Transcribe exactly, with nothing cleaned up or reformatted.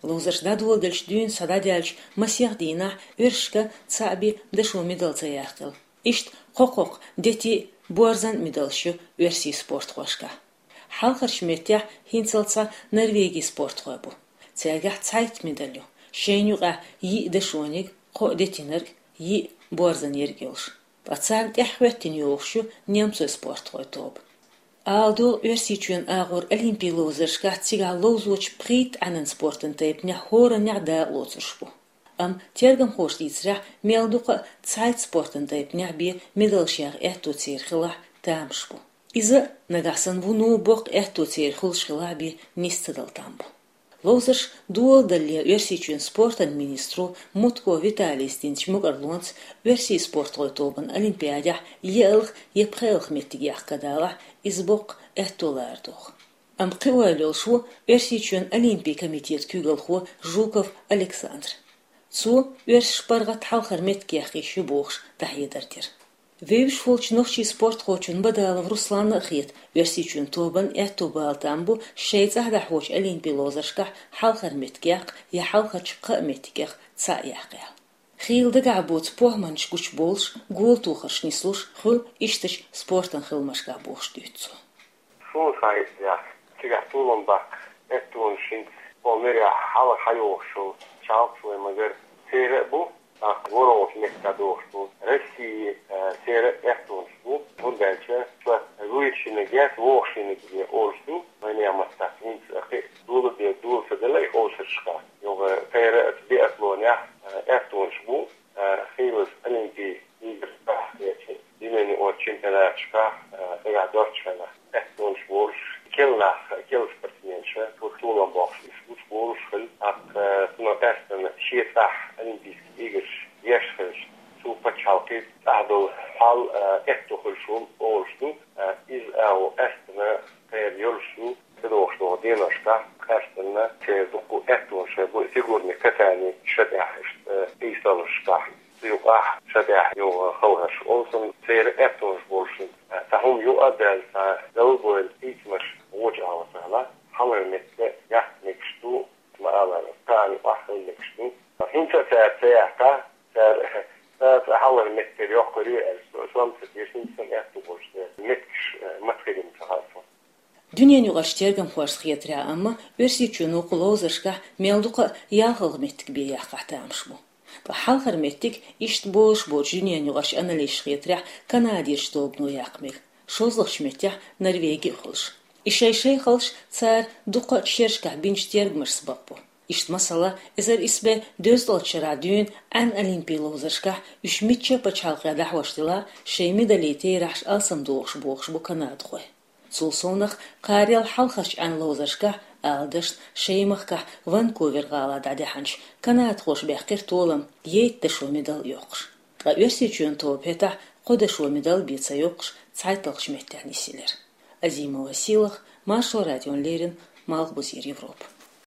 Ловзарш дӀадоладелча дуьйна схьа дӀадаьллачу масех дийнахь оьрсашка цхьаъ бен дашо медал ца яккхийла. Иштта кхо-кхо дети, борзан медалш ю оьрсийн спортхошка. Хьалхарчу меттехь хӀинццалц Норвегин спортхой бу. Цаьргахь цхьайтта медаль ю, шайна юкъахь йиъ дашониг, кхоъ детинарг, йиъ борзан ерг йолуш. Ткъа царна тӀаьхьахӀоьттина йогӀуш ю немцойн спортхойн тоба. Ала догӀу, Оьрсийчоьнан агӀор олимпийн ловзаршкахь цигахь ловзочу пхийтта Ӏаьнан спортан тайпанехь хӀораннехь дакъа лоцурш бу. Амма тергамхоша дийцарехь, мел дукха а цхьайтта спортан тайпанехь бен медалш яха аьтто церан хилахь, тамаш бу. Иза нагахь санна вуно боккха аьтто церан хуьлуш хилахь бен нис ца дала там бу. Ловзарш доладалале Оьрсийчоьнан спортан министро Мутко Виталийс динчу мукӀарлонца оьрсийн спортхойн тобанна олимпиадехь еалгӀа я пхоьалгӀа меттиг яккха далахь, иза боккха аьтто лара догӀу. Амма кхин ойла йолуш ву Оьрсийчоьнан олимпийн комитетан куьйгалхо Жуков Александр. Цо оьрсаша паргӀат хьалхара меттиг яккха йиш ю бохуш дӀахьедар дира. Вевзаш волчу нохчийн спортхочунна Бадалов Русланна а хета, Оьрсийчоьнан тобанна аьтто бала там бу шайн цӀахь дӀахьочу олимпийн ловзаршкахь хьалхара меттиг яккха я хьалхарчу кхаа меттигех цхьаъ яккха аьлла. Хийла дагахь боцу похӀманаш гучубовлуш, гола тохарш нислуш хуьлу ишттачу спортан хиламашкахь бохуш дуьйцу цо. Суна сан иза яхь, цигахь толам баккха аьттонаш хӀинца кху мирехь хьалха хьайогӀуш йолу чалхаш вай ма-гарра, церан а бу, тӀаккха ворхӀалгӀачу меттехь догӀуш бу, Россин, а, церан а аьттонаш бу, хӀунда аьлча ша вуьйцу шинниг яц, вогӀу шинниг бен олуш ду, вайн маттахь хӀинца кхин а дола бен дола ца делла и къовсаршкахь. Юха тера а биатлонехь, а, аьттонаш бу, а, хийлаза олимпий играшкахь, я дуьненан чемпионаташкахь, а, дагахь доцчу хенахь, аьттонаш болуш, кел нах, кел спортсменаш, цо толам боккхуш, уьш гучубовлуш хилла, тӀаккха, а, цунах къаьстина шен цӀахь Олимпийский играш еш хилча, цу пачхьалкхе цӀахь долу хьал, а, аьтто хуьлуш волу олуш ду, а, иза агӀо къаьстина кхера йолуш ю, ца догӀуш долу деношкахь, къаьстина церан дуккха а аьттонаш бу фигурный катание ша тӀехь иштта, а, къийсаллашкахь. Цу юкъахь ша тӀехь юха хала хӀорш олу суна, церан аьттонаш болушна, цхьа хӀума юкъа а даьлла, цхьа далбойла хийцамаш вочу агӀор ца хилла, хьалхара меттиг яккха мегаш ду, ма аллара, кхана юкъахь хила мегаш ду. ХӀинца а цара ца яьккха, цара, цара хьалхара меттиг йоккхур ю аьлла, со, сом ца деш, хӀинца сан аьтто болуш дела, меттигаш, э, мацахилийна ца хаьа суна. Дуьненаюкъарчу тергамхошна хетарехь, амма Оьрсийчоьнан вукху ловзаршкахь мел дукха а ялхалгӀа меттиг бен яккхахь тамаш бу. Ткъа хьалхара меттиг иштта болуш боцчу дуьненаюкъарчу аналисташна хетарехь, Канадерчу тобано яккха мега, шозлагӀчу меттехь Норвеги а хуьлуш. И шай-шайхаллаш цара дуккха а шерашкахь бинчу тергамашца бакъбо. Иштта, масала, эзар исс бӀе дезткъалгӀачу шарахь дуьйна Ӏаьнан олимпийн ловзаршкахь уьш мичча а пачхьалкхехь дӀахьош делахь, шайн медалийн терахьаш алсамдохуш бохуш бу канадхой. Цул совнаха, кхарел хьалхарчу Ӏаьнан ловзаршкахь, ала дашна, шайн махкахь Ванкувер гӀалахь дӀадаьхьначу канадхоша баьккхира толам, ейтта дашо медал йоккхуш. Ткъа Оьрсийчоьнан тоба хӀетахь кхо дашо медал бен ца йоккхуш, цхьайтталгӀачу меттехь нисъелира. Азимова Сийлаха, Маршо радиона леррина, Малхбузера Европа.